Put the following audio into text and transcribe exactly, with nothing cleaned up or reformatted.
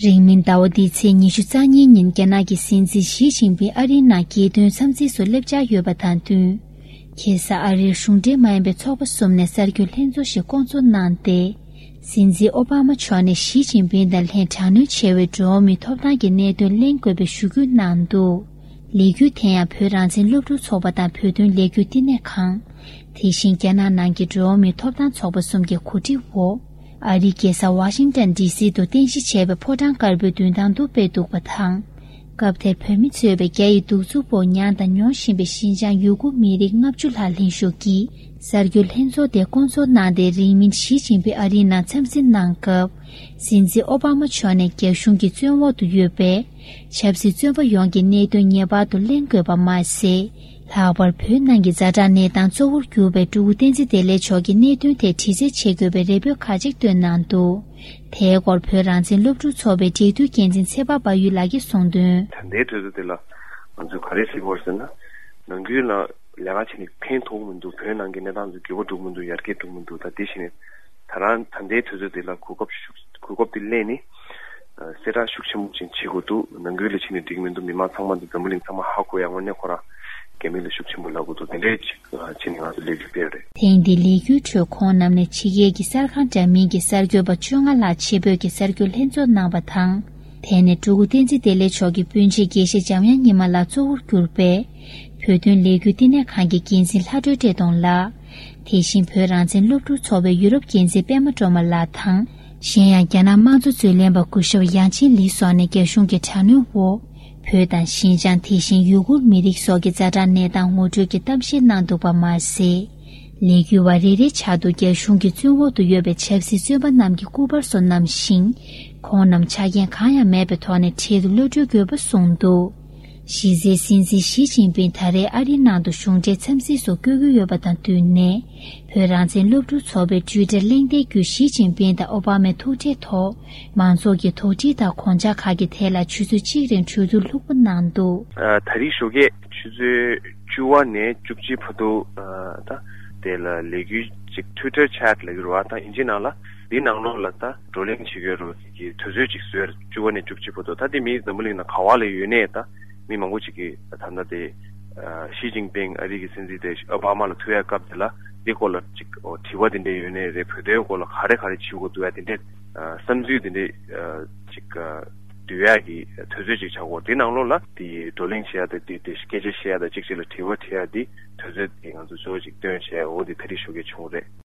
རིང་མིན་ཟླ་བ་འདིའི་ཚེས་ཉི་ཤུ་རྩ་གཉིས་ཉིན་རྒྱ་ནག་གི་སྲིད་འཛིན་ཞི་ཅིན་ཕིང་ཨ་རིའི་ནང་རྒྱལ་དོན་འཚམས་གཟིགས་སུ་སླེབས་འཆར་ཡོད་པ་དང་བསྟུན། ཁ་སང་ཨ་རིར་གཞུང་འབྲེལ་མ་ཡིན་པའི་ཚོགས་པ་གསུམ་ནས་གསར་འགྱུར་ལྷན་ཚོགས་ཤིག་བསྐོང་ཚོགས་གནང་སྟེ། སྲིད་འཛིན་ཨོ་བྷ་མ་མཆོག་ནས་ཞི་ཅིན་ཕིང་དང་ལྷན་དྲག་གནོན་བྱས་པའི་འགྲོ་བ་མིའི་ཐོབ་ཐང་གི་གནད་དོན་གླེང་དགོས་པའི་ཞུ་སྐུལ་གནང་འདུག་ལས་འགུལ་དེ་ཡང་བོད་རང་བཙན་སློབ་ཕྲུག་ཚོགས་པ་དང་བོད་དོན་ལས་འགུལ་བསྟི་གནས་ཁང་། དེ་བཞིན་རྒྱ་ནག་ནང་གི་འགྲོ་བ་མིའི་ཐོབ་ཐང་ཚོགས་པ་གསུམ་གྱི་གོ་སྒྲིག་འོག་ཨ་རིའི་རྒྱལ་ས་ཝ་ཤིང་ཏན་ཌི་སི་དུ་རྟེན་གཞི་བྱས་པའི་ཕོ་བྲང་དཀར་པོའི་མདུན་ཐང་དུ་སྤེལ་འདུག་པ་དང་། སྐབས་དེར་བོད་མི་གཙོས་པའི་རྒྱ་ཡི་གདུག་རྩུབ་འོག་མྱངས་དང་མྱོང་བཞིན་པའི་ཞིན་ཅང་ཡུ་གུར་མི་རིགས་ལྔ་བཅུ་ལྷག་ལྷན་ཞུགས་ཀྱིས་གསར་འགྱུར་ལྷན་ཚོགས་དེ་བསྐོང་ཚོགས་གནང་སྟེ། རིང་མིན་ཞི་ཅིན་ཕིང་ཨ་རིའི་ནང་འཚམས་གཟིགས་གནང་སྐབས། སྲིད་འཛིན་ཨོ་བྷ་མ་མཆོག་ནས་རྒྱ་གཞུང་གི་བཙོན་འོག་ཏུ་ཡོད་པའི་ཆབ་སྲིད་བཙོན་པ་ཡོངས་ཀྱི་གནད་དོན་ངེས་པར་དུ་གླེང་དགོས་པ་མ་ཟད། ལྷག་པར་བོད་ནང་གི་ཛ་དྲག་གནས་སྟངས་གཙོ་བོར་གྱུར་པའི་སྤྲུལ་སྐུ་བསྟན་འཛིན་བདེ་ལེགས་མཆོག་གི་གནད་དོན་ཐད་དྲི་རྩད་བྱེད་དགོས་པའི་རེ་འབོད་ཁ་ཅིག་བཏོན་གནང་འདུག་དེའི་སྐོར་བོད་རང་བཙན་སློབ་ཕྲུག་ཚོགས་པའི་འབྲེལ་མཐུད་འགན་འཛིན་ཚེ་དཔག་དཔལ་ཡུལ་ལགས་ཀྱིས་གསུངས་དོན། ད་ལྟའི་དུས་ཚོད་འདི་ལ་ང་ཚོས་ག་རེ་ཟེར་དགོས་ཟེར་ན། ནང་ཁུལ་ལ་ལས་ཀ་བྱས་ནས་ཕན་ཐོགས་མི་འདུག་བོད་ནང་གི་གནས་སྟངས་ཚོ་འགྱུར་བ་འགྲོ་མི་འདུག་ཡར་རྒྱས་འགྲོ་མི་འདུག་ད་དེ་བཞིན་ད་རང་ད་ལྟའི་དུས་ཚོད་འདི་ལ་གོ་སྐབས་ཤུགས་གོ་སྐབས་འདི་ལེན་ནས། ཨ། གསལ་བསྒྲགས་ཤུགས་ཆེན་པོ་ཅིག་བྱེད་དགོས་འདུག་ནང་ཁུལ་ལ་ཕྱིན་ནས་འགྲིག་མི་འདུག་མི་མང་ཚང་མ་འདི་འཛམ་བུ་གླིང་ཚང་མ་ཧ་གོ་ཡ། དངོས་གནས་ཁོ་རང་རྒྱ་མི་ལ་ཤུགས་ཆེན་པོ་ལབ་དགོས་འདུག་དེ་འདྲས་ཅིག་ཨ། བྱས་ནས་ང་ཚོ་ལས་འགུལ་སྤེལ་རེད། ཐེངས་འདིའི་ལས་འགུལ་ཁྲོད་ཁོང་རྣམས་ནས་ཕྱི་རྒྱལ་གྱི་གསར་ཁང་འདྲ་མིན་གྱི་གསར་འགོད་པ་བཅོ་ལྔ་ལྷག་ཆེད་ཕེབས་ཀྱིས་གསར་འགྱུར་ལྷན་ཚོགས་གནང་བ་དང་། དེ་ནས་སྤྲུལ་སྐུ་བསྟན་འཛིན་བདེ་ལེགས་མཆོག་གི་སྤུན་མཆེད་དགེ་བཤེས་འཇམ་དབྱངས་ཉི་མ་ལགས་གཙོ་བོར་གྱུར་པའི་བོད་དོན་ལས་འགུལ་བསྟི་གནས་ཁང་གི་འགན་འཛིན་ལྷ་སྒྲོལ་བཀྲས་མཐོང་ལགས། དེ་བཞིན་བོད་རང་བཙན་སློབ་ཕྲུག་ཚོགས་པའི་ཡུ་རོབ་འགན་འཛིན་པད་མ་སྒྲོལ་མ་ལགས་དང་། གཞན་ཡང་རྒྱ་ནག་དམངས་གཙོ་རྩོད་ལེན་པ་སྐུ་ཞབས་ཡང་ཆིན་ལི་སོགས་ནས་རྒྱ་གཞུང་གི་དྲག་གནོན་འོག་བོད་དང་ཞིན་ཅང་། དེ་བཞིན་ཡུ་གུར་མི་རིགས་སོགས་ཀྱི་ཛ་དྲག་གནས་སྟངས་ངོ་སྤྲོད་ཀྱི་གཏམ་བཤད་གནང་འདུག་པ་མ་ཟད། ལས་འགུལ་བ་རེ་རེའི་ཕྱག་ཏུ་རྒྱ་གཞུང་གི་བཙོན་འོག་ཏུ་ཡོད་པའི་ཆབ་སྲིད་བཙོན་པ་རྣམས་ཀྱི་སྐུ་པར་སོགས་བསྣམས་ཤིང་། ཁོང་རྣམས་ཆ་རྐྱེན་གང་ཡང་མེད་པའི་ཐོག་ནས་འཕྲལ་དུ་གློད་གྲོལ་དགོས་པ་གསུངས་འདུག་གཞི་རྩའི་སྲིད་འཛིན་ཞི་ཅིན་ཕིང་ད་རེས་ཨ་རིའི་ནང་དུ་གཞུང་འབྲེལ་འཚམས་གཟིགས་སུ་བསྐྱོད་ཀྱི་ཡོད་པ་དང་བསྟུན་ནས། བོད་རང་བཙན་སློབ་ཕྲུག་ཚོགས་པའི་ཊུའི་ཊར་གླེང་སྟེགས་བརྒྱུད་ཞི་ཅིན་ཕིང་དང་ཨོ་བྷ་མའི་ཐུག་འཕྲད་ཐོག་མང་ཚོགས་ཀྱི་དོགས་འདྲི་དང་དགོངས་འཆར་ཁག་གི་ཐད་ལ་ཆུ་ཚོད་གཅིག་རིང་གྲོས་བསྡུར་ལྷུག་པོ་གནང་འདུག་ཨ། ད་རེས་ཞོགས་ཀས་ཆུ་ཚོད་བཅུ་པ་ནས་བཅུ་གཅིག་བར་དུ། ཨ། ད་དེ་ལ་ལས་འགུལ་ཅིག་ཊུའི་ཊར་ཆེཊ་ལབ་ཀྱི་རེད་བ། ད་ཨིན་ཇི་ནང་ལ་འདི་ནང་ལོགས་ལ་ད་བགྲོ་གླེང་བྱེད་ཀྱི་ཡོད་རེད་བ། དེ་གི་དུས་ཚོད་ཅིག་བཟོས་རེད། བཅུ་པ་ནས་བཅུ་གཅིག་བར་དུ། ད་དེ་མི་འཛམ་བུ་གླིང་ནང་ག་བ་ལ་ཡོད་ནའི་ད་མི་མང་པོ་ཅིག་གིས་ད་ལྟ་དེ། ཨ། ཞི་ཅིན་ཕིང་ཨ་རི་གི་སྲིད་འཛིན་དེ་ཨོ་བྷ་མ་ལ་ཐུག་ཡ་སྐབས་དེ་ལ་འདི་སྐོར་ལ་ཅིག་ཨོ་དྲི་བ་དེ་འདྲས་ཡོད་ནའི་རེད། བོད་དོན་སྐོར་ལ་ག་རེ་ག་རེ་བྱེད་དགོས་འདུག་ཡ་དེ་འདྲས། ཨ། བསམ་ཚུལ་དེ་འདྲས། ཨ། ཅིག་ཨ། བསྡུ་ཡ་གི་དུས་ཚོད་ཅིག་ཆགས་ཀྱི་ཡོད་རེད། དེ་ནང་ལོགས་ལ་དེ་བགྲོ་གླེང་བྱེད་ཡ་དང་དེ་དེ་སྐད་ཆ་བཤད་ཡ་དང་གཅིག་གཅིག་ལ་དྲི་བ་དྲི་ཡ་དེ་དུས་ཚོད་དེ་ང་ཚོ་གཙོ་བོ་ཅིག་བཏོན་བྱས། འོ་དེ་ད་རེས་ཞོགས་ཀས་བྱུང་བ་རེད།